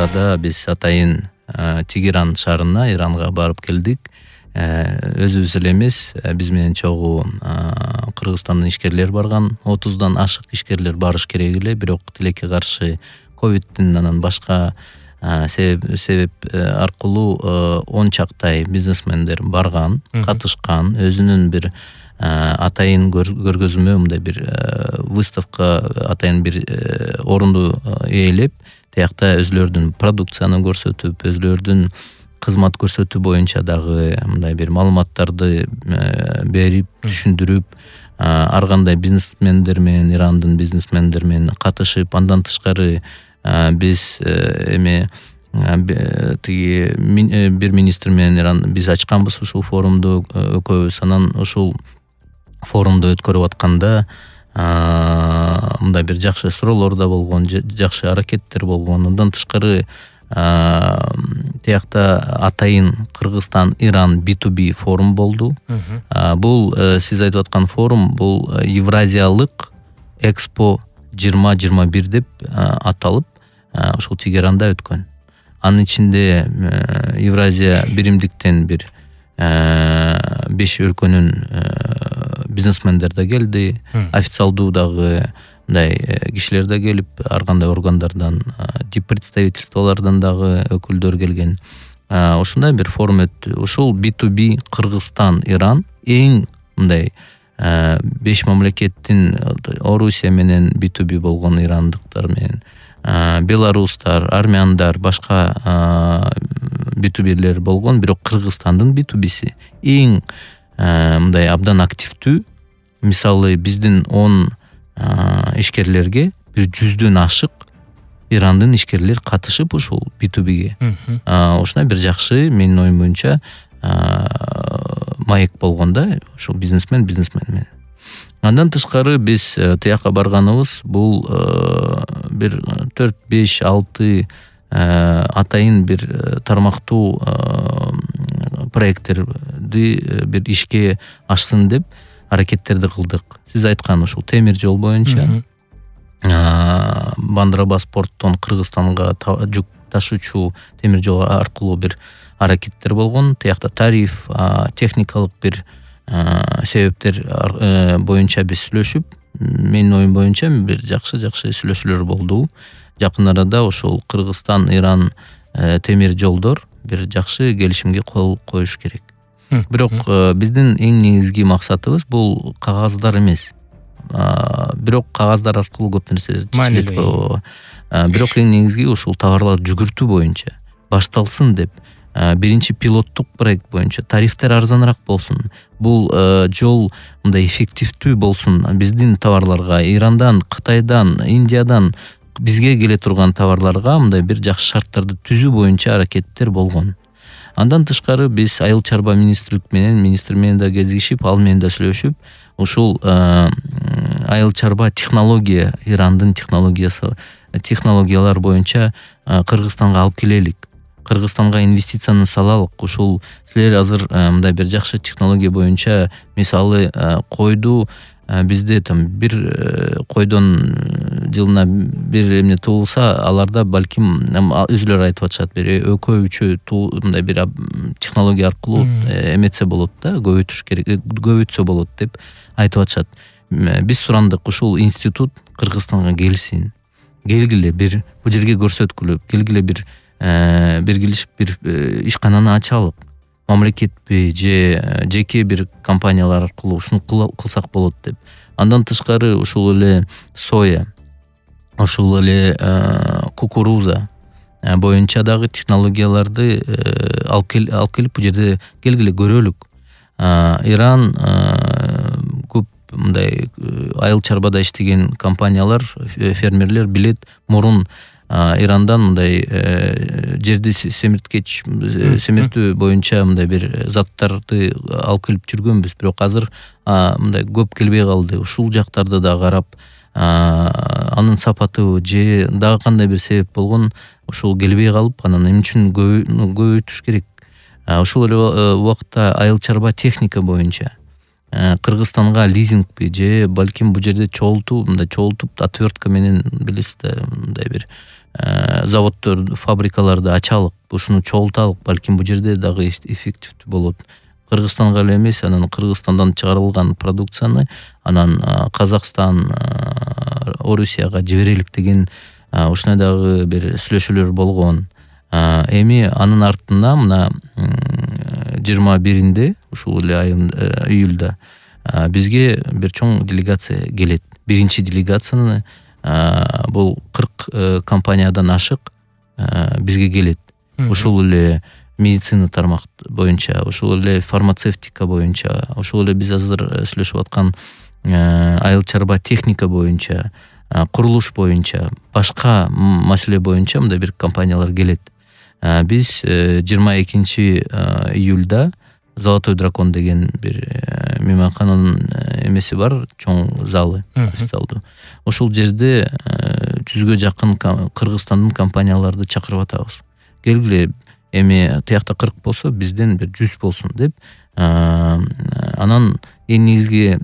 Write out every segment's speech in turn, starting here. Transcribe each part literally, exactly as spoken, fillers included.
арада биз атайын Тегеран шаарына, Иранга барып келдик. Өзүбүз эле эмес, биз менен чогуу Кыргызстандын ишкерлери барган, отуздан ашык ишкерлер барыш керек эле, бирок тилекке каршы ковидтин анан башка себеп себеп аркылуу он чактай бизнесмендер барган, катышкан, өзүнүн бир атайын көргөзмө, мындай бир выставка, атайын бир орунду ээлеп, тиякта өзүлөрүнүн продукцияны көрсөтүп, өзүлөрүнүн кызмат көрсөтүү боюнча дагы мындай бир маалыматтарды берип, түшүндүрүп, ар кандай бизнесмендер менен, Ирандын бизнесмендер менен катышып, андан тышкары биз эме тиги бир министр менен Иран биз ачканбыз ушул форумду экөөбүз. Анан ушул форумду өткөрүп атканда мындай бир жакшы суроолор да болгон, жакшы аракеттер болгон. Андан тышкары тиякта атайын Кыргызстан Иран би ту би форум болду. Бул сиз айтып аткан форум бул Евразиялык Экспо жыйырма жыйырма бир деп аталып, ушул Тегеранда өткөн. Анын ичинде Евразия биримдиктен бир беш өлкөнүн бизнесмендер да келди, официалдуу дагы мындай кишилер да келип, ар кандай органдардан, представительстволордон дагы өкүлдөр келген. Ушундай бир форум өттү. Ушул би ту би Кыргызстан Иран эң мындай беш мамлекеттин, Орусия менен би ту би болгон ирандыктар менен, белорустар, армяндар, башка би ту билер болгон, бирок Кыргызстандын би ту биси эң мындай абдан активдүү. Мисалы биздин он ишкерлерге бир жүздөн ашык Ирандын ишкерлер катышып ушул би ту биге. Ушундай бир жакшы, менин оюм боюнча, маек болгон да, ушул бизнесмен бизнесмен менен. Андан тышкары биз тияка барганыбыз бул бир төрт беш алты атайын бир тармактуу проекттерди бир ишке ашсын деп аракеттерди кылдык. Сиз айткан ушул темир жол боюнча Бандарбас порттон Кыргызстанга жүк ташуучу темир жол аркылуу бир аракеттер болгон. Тиякта тариф, техникалык бир себептер боюнча биз сүйлөшүп, менин оюм боюнча бир жакшы-жакшы сүйлөшүүлөр болду. Жакын арада ушул Кыргызстан Иран темир жолдор бир жакшы келишимге кол коюш керек. Бирок биздин эң негизги максатыбыз бул кагаздар эмес. Бирок кагаздар аркылуу көп нерселер чечилет. Бирок эң негизги ушул товарлар жүгүртүү боюнча башталсын деп, биринчи пилоттук проект боюнча тарифтер арзаныраак болсун. Бул жол мындай эффективдүү болсун. Биздин товарларга Ирандан, Кытайдан, Индиядан бизге келе турган товарларга мындай бир жакшы шарттарды түзүү боюнча аракеттер болгон. Андан тышкары биз айыл чарба министрлик менен, министр менен да кезигишип, ал менен да сүйлөшүп, ушул айыл чарба технология, Ирандын технологиясы, технологиялар боюнча Кыргызстанга алып келелик. Кыргызстанга инвестицияны салалык. Ушул силер азыр мындай бир жакшы технология боюнча, мисалы койду бизде там бир койдон жылына бир эмне туулса, аларда балким өзүлөр айтып атышат, бир экөө үчөө мындай бир технология аркылуу эметсе болот да, көбөйтүш керек, көбөйтсө болот деп айтып атышат. Биз сурандык, ушул институт Кыргызстанга келсин, келгиле бир бул жерге көрсөткүлө, келгиле бир биргилишип бир ишкананы ачалык. Мамлекетпи же жеке бир компаниялар аркылуу ушуну кылсак болот деп. Андан тышкары ушул эле соя, ушул эле кукуруза боюнча дагы технологияларды алып келип бул жерде келгиле көрөлүк. Иран көп мындай айыл чарбада иштеген компаниялар, фермерлер билет, мурун Ирандан мындай жерди семирткеч, семиртүү боюнча мындай бир заттарды алып келип жүргөнбүз, бирок азыр мындай көп келбей калды. Ушул жактарды да карап, анын сапаты же дагы кандай бир себеп болгон, ушул келбей калып, анан эмне үчүн көбөйтүш керек. Ушул эле убакытта айыл чарба техника боюнча Кыргызстанга лизингби же балким бул жерде чогултуу, мындай чогултуп отвертка менен билесиз да, мындай бир заводдор, фабрикаларды ачалык, ушуну чогулталык, балким бул жерде дагы эффективдүү болот. Кыргызстанга эле эмес, анан Кыргызстандан чыгарылган продукцияны анан Казакстан, Орусияга жиберелик деген ушундай дагы бир сүйлөшүүлөр болгон. Эми анын артында мына жыйырма биринде ушул эле айын июлда бизге бир чоң делегация келет. Биринчи делегацияны бул кырк компаниядан ашык бизге келет. Ушул эле медицина тармак боюнча, ушул эле фармацевтика боюнча, ушул эле биз азыр сүйлөшүп аткан айыл чарба техника боюнча, курулуш боюнча, башка маселе боюнча мындай бир компаниялар келет. Биз жыйырма экинчи июлда Золотой дракон деген бир мейманкананын эмеси бар, чоң залы, официалдуу. Ошол жерде жүзгө жакын Кыргызстандын компанияларды чакырып атабыз. Келгиле, эми тиякта кырк болсо, бизден бир жүз болсун деп. Анан эң негизги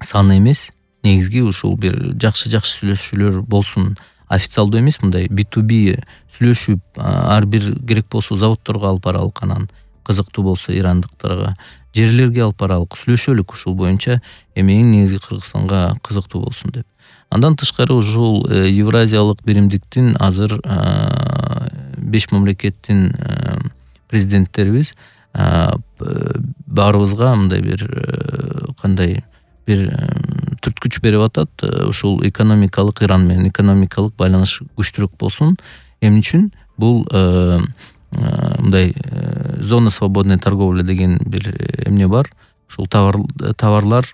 саны эмес, негизги ушул бир жакшы-жакшы сүйлөшүүлөр болсун. Официалдуу эмес, мындай би ту би сүйлөшүп, ар бир керек болсо заводдорго алып баралык, анан кызыктуу болсо ирандыктарга, жерлерге алып баралык, сүйлөшөлүк ушул боюнча, эми эң негизги Кыргызстанга кызыктуу болсун деп. Андан тышкары ушул Евразиялык биримдиктин азыр беш мамлекеттин президенттерибиз баарыбызга мындай бир кандай бир түрткүч берип атат. Ушул экономикалык Иран менен экономикалык байланыш күчтүүрөөк болсун. Эмне үчүн? Бул мындай зона свободной торговли деген бир эмне бар. Ушул товарлар,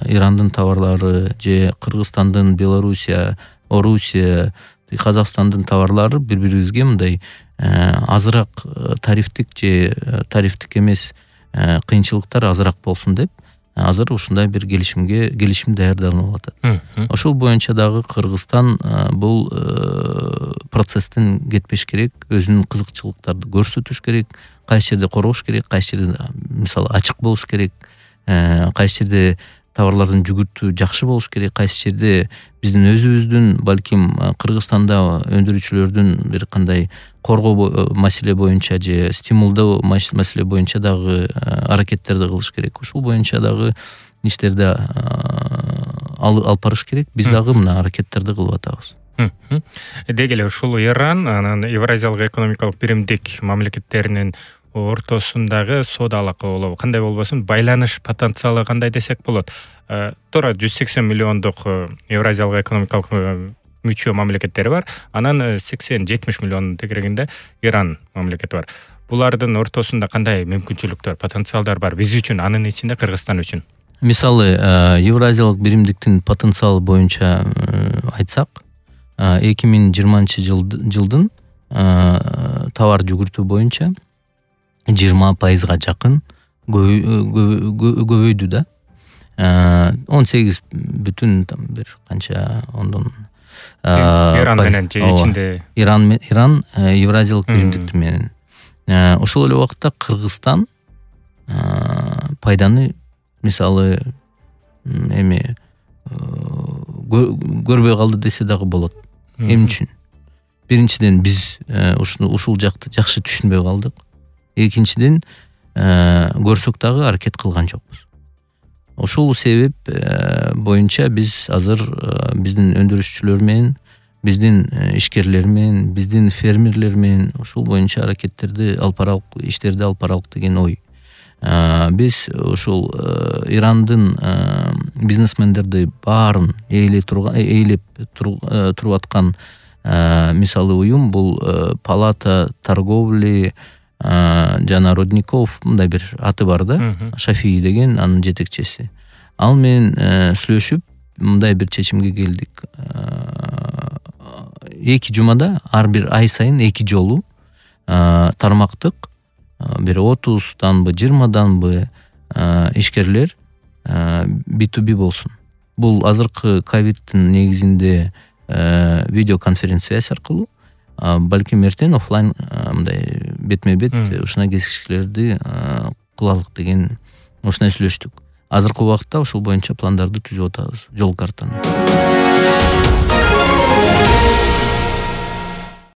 Ирандын товарлары же Кыргызстандын, Белоруссия, Орусия, Казакстандын товарлары бири-бирибизге мындай азыраак тарифтик же тарифтик эмес кыйынчылыктар азыраак болсун деп азыр ушундай бир келишимге келишим даярданып атат. Ошол боюнча дагы Кыргызстан бул процесстен кетпеш керек, өзүнүн кызыкчылыктарды көрсөтүш керек, кайсы жерде коргош керек, кайсы жерде мисалы ачык болуш керек, кайсы жерде товарлардын жүгүртүү жакшы болуш керек, кайсы жерде биздин өзүбүздүн балким Кыргызстанда өндүрүүчүлөрдүн бир кандай коргоо маселе боюнча же стимулдоо маселе боюнча дагы аракеттерди кылыш керек. Ушул боюнча дагы иштерди алып барыш керек. Биз дагы мына аракеттерди кылып атабыз. Деги эле ушул Иран, анан Евразиялык экономикалык биримдик мамлекеттеринин ортосундагы соодалык болобу, кандай болбосун, байланыш потенциалы кандай десек болот. Туура жүз сексен миллиондук Евразиялык экономикалык мүчө мамлекеттери бар. Анан сексен жетимиш миллион тегерегинде Иран мамлекети бар. Булардын ортосунда кандай мүмкүнчүлүктөр, потенциалдар бар биз үчүн, анын ичинде Кыргызстан үчүн? Мисалы, Евразиялык биримдиктин потенциалы боюнча айтсак, эки миң жыйырманчы жылдын товар жүгүртүү боюнча жыйырма пайызга жакын көбөйдү да. он сегиз бүтүн бир канча ондон Иран менен же ичинде Иран Иран Евразиялык биримдикти менен. Ошол эле убакытта Кыргызстан пайданы мисалы эми көрбөй калды десе дагы болот. Эмне үчүн? Биринчиден биз ушуну ушул жакты жакшы түшүнбөй калдык. Экинчиден көрсөк дагы аракет кылган жокпуз. Ошол себеп боюнча биз азыр биздин өндүрүшчүлөр менен, биздин ишкерлер менен, биздин фермерлер менен ушул боюнча аракеттерди алып баралык, иштерди алып баралык деген ой. Биз ушул Ирандын бизнесмендерди баарын ээлеп турган, ээлеп туруп аткан мисалы уюм бул Палата торговли жана Родников мындай бир аты бар да, Шафии деген анын жетекчиси. Ал менен сүйлөшүп мындай бир чечимге келдик. Эки жумада ар бир ай сайын эки жолу тармактык бир отузданбы, жыйырмаданбы ишкерлер би ту би болсун. Бул азыркы ковидтин негизинде видеоконференция аркылуу, балким эртең офлайн мындай бетме-бет ушундай кездешүүлөрдү кылалык деген ушундай сүйлөштүк. азыркы убакытта ушул боюнча пландарды түзүп атабыз, жол картаны.